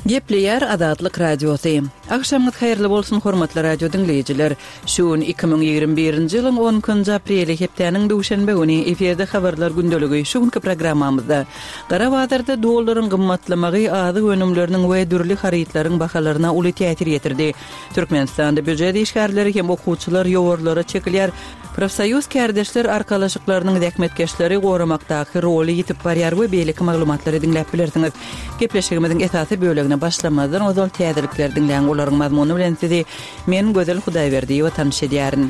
Gepleýär Azatlyk Radiosy. Agşamyňyz haýyrly bolsun hormatly radio diňleýjiler. Şu gün 2021-nji ýylyň 12-nji apreli hepdäniň duşenbe güni efirde habarlar gündeligi şu günki programmamyzda Gara bazarda dollaryň gymmatlamagy azyk önümleriniň we dürli harytlaryň bahalaryna uly täsir ýetirdi. Türkmenistanda býujet işgärleri hem okuwçylar ýowarlara çekilýär. Profsoýuz kärdeşler arkalaşyklarynyň zähmetkeşleri goramakdaky roly ýitip barýar we beýleki maglumatlary diňläp bilersiňiz. Gepleşigimiziň esasy bölegine başlamazdan ozal täzelikleri diňläň, olaryň mazmuny bilen sizi men Gözel Hudaýberdiýewa tanyş edýärin.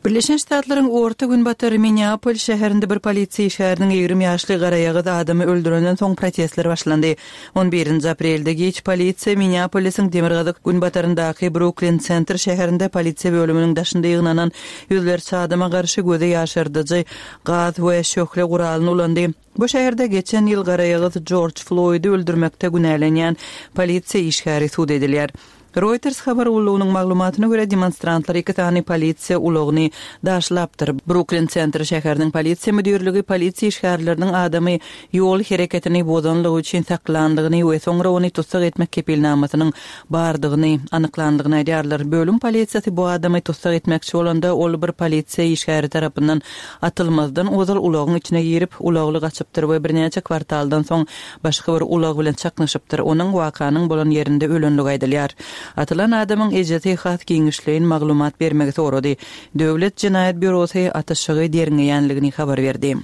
Birleşen Ştatlaryň Orta Günbatar Minneapol şäherinde bir polisiýa işgäriniň 20 ýaşly garaýagyz adamy öldürenden soň protestler başlandy. On birinji aprelde giç polisiýa Minneapolisiň demirgazyk-günbataryndaky Bruklin Sentr şäherinde polisiýa bölüminiň daşynda ýygnanan ýüzlerçe adama garşy gözi ýaşardyjy gaz we şöhle guralyny ulandy. Bu şäherde geçen ýyl garaýagyz Jorj Floýdy öldürmekde günälenýän polisiýa işgäri sud edilýär. Reuters habar gullugynyň maglumatyna görä, demonstrantlar iki sany polisiýa ulagyny daşlapdyr. Bruklin Sentr şäheriniň polisiýa müdirligi polisiýa işgärleriniň adamy ýol hereketini bozanlygy üçin saklandygyny we soňra ony tussag etmek kepilnamasynyň bardygyny anyklandygyny aýdýarlar. Bölüm polisiýasy bu adamy tussag etmekçi bolanda, ol bir polisiýa işgäri tarapyndan atylmazdan ozal ulagyň içine girip, ulagly gaçypdyr we birnäçe kwartaldan soň başga bir ulag bilen çaknyşypdyr. Onuň wakanyň bolan ýerinde ölenligi aýdylýar. Atylan adamyň ejesi has giňişleýin maglumat bermegi sorady. Döwlet jenaýat býurosy atyşygy derňeýänligini habar berdi.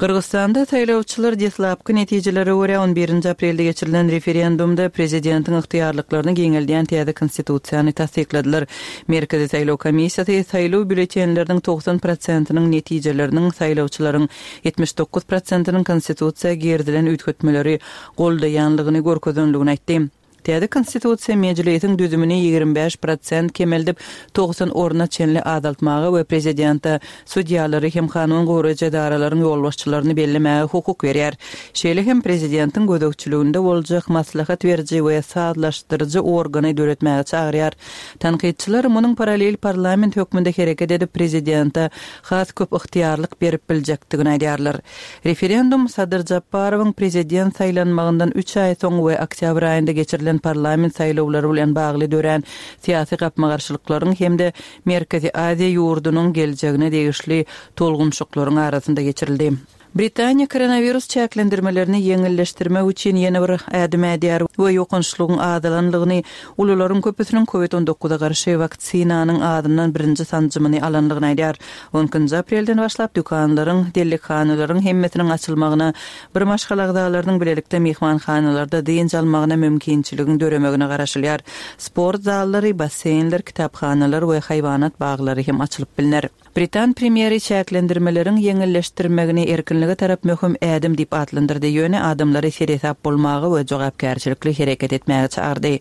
Gyrgyzystanda saýlawçylar deslapky netijelere görä, on birinji aprelde geçirilen referendumda prezidentiň ygtyýarlyklaryny giňeldýän täze konstitusiýany tassykladylar. Merkezi saýlaw komissiýasy saýlaw býulletenleriniň 90 prosentiniň netijeleriniň saýlawçylaryň 79 prosentiniň konstitusiýa girizilen üýtgetmeleri goldaýanlygyny görkezenligini aýtdy. Täze Konstitusiýa Mejlisiň düzümini 25 prosent kemeldip, 90 orna çenli azaltmaga we prezidente sudýalary hem kanun goraýjy edaralaryň ýolbaşçylaryny bellemäge hukuk berýär. Şeýle hem prezidentiň gözegçiliginde boljak maslahat beriji we sazlaşdyryjy organy döretmäge çagyrýar. Tankytçylar munuň parallel parlament hökmünde hereket edip, prezidente has köp ygtyýarlyk berip biljekdigini aýdýarlar. Referendum Sadyr Žaparowyň prezident saýlanmagyndan üç aý soň we oktýabr aýynda geçirilen parlament saýlawlary bilen bagly dörän syýasy gapma-garşylyklaryň hem-de Merkezi Aziýa ýurdunyň geljegine degişli tolgunşyklaryň arasynda geçirildi. Britaniýa koronawirus çäklendirmelerini ýeňilleşdirmek üçin ýene bir ädim ädýär we ýokançlygyň azalanlygyny, ulularyň köpüsiniň covid on dokuza garşy waksinanyň azyndan birinji sanjymyny alanlygyny aýdýar. On ikinji aprelden başlap dükanlaryň, dellekhanalaryň hemmesiniň açylmagyna, bir maşgala agzalarynyň bilelikde myhmanhanalarda dynç almagyna mümkinçiligiň döremegine garaşylýar. Sport zallary, basseýnler, kitaphanalar we haýwanat baglary hem açylyp bilner. Britan premýeri çäklendirmeleriň ýeňilleşdirmegini erkinlige tarap möhüm ädim diýip atlandyrdy, ýöne adamlary seresap bolmaga we jogapkärçilikli hereket etmäge çagyrdy.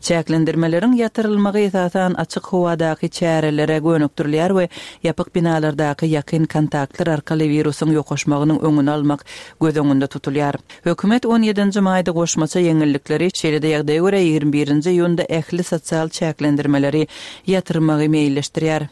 Çäklendirmeleriň ýatyrylmagy esasan açyk howadaky çärelere gönükdirilýär we ýapyk binalardaky ýakyn kontaktlar arkaly wirusyň ýokaşmagynyň öňüni almak göz öňünde tutulýar. Hökümet on ýedinji maýda goşmaça ýeňillikleri, şeýle-de ýagdaýa görä 21 nji iýunda ähli sosial çäklendirmeleri ýatyrmagy meýilleşdirýär.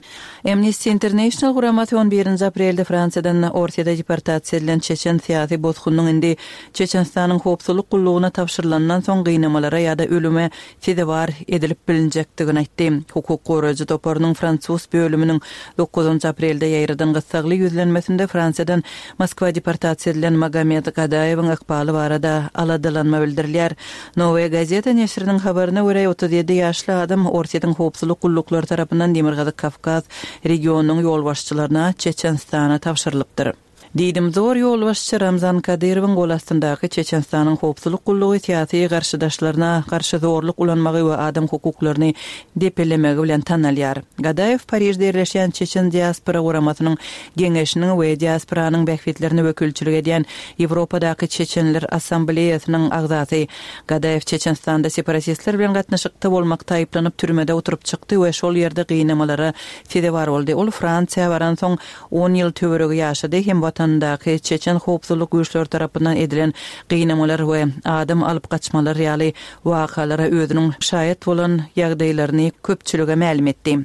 Amnesty International guramasy on birinji aprelde Fransiýadan Orsýete deportasiýa edilen çeçen syýasy bosgunyň indi Çeçenistanyň howpsuzlyk gullugyna tabşyrylandan soň gynamalara ýa-da ölüme sezewar edilip bilinjekdigini aýtdy. Hukuk goraýjy toparynyň fransuz bölüminiň dokuzynjy aprelde ýaýradan gyssagly ýüzlenmesinde Fransiýadan Moskwa deportasiýa edilen Magomed Gadaýewiň ykbaly barada aladalanma bildirilýär. Nowaýa gazeta neşiriniň habaryna görä, 37 ýaşly adam Orsýetiň howpsuzlyk gulluklary tarapyndan Demirgazyk Kawkaz regionynyň ýolbaşçylaryna Çeçenistana tabşyrylypdyr. Diýdimzor ýolbaşçy Ramzan Kadyrowyň gol astyndaky Çeçenistanyň howpsuzlyk gullugy syýasy garşydaşlaryna garşy zorluk ulanmagy we adam hukuklaryny depelemegi bilen tanalýar. Gadaýew Parižde ýerleşýän Çeçen diaspora guramasynyň geňeşiniň we diasporanyň bähbitlerine wekilçilik edýän Ýewropadaky Çeçenler Assambleýasynyň agzasy. Gadaýew Çeçenistanda separatistler bilen gatnaşykda bolmakda aýyplanyp türmede oturyp çykdy we şol ýerde gynamalara sezewar boldy. Ol Fransiýa baransoň on ýyl töweregi ýaşady hem watanyndaky çeçen howpsuzlyk güýçleri tarapyndan edilen gynamalar we adam alyp gaçmalar ýaly wakalara özüniň şaýat bolan ýagdaýlaryny köpçülige mälim etdi.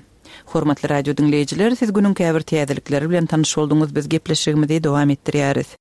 Hormatly radio diňleýjiler, siz günüň käbir täzelikleri bilen tanyş bolduňyz, biz gepleşigimizi dowam etdirýäris.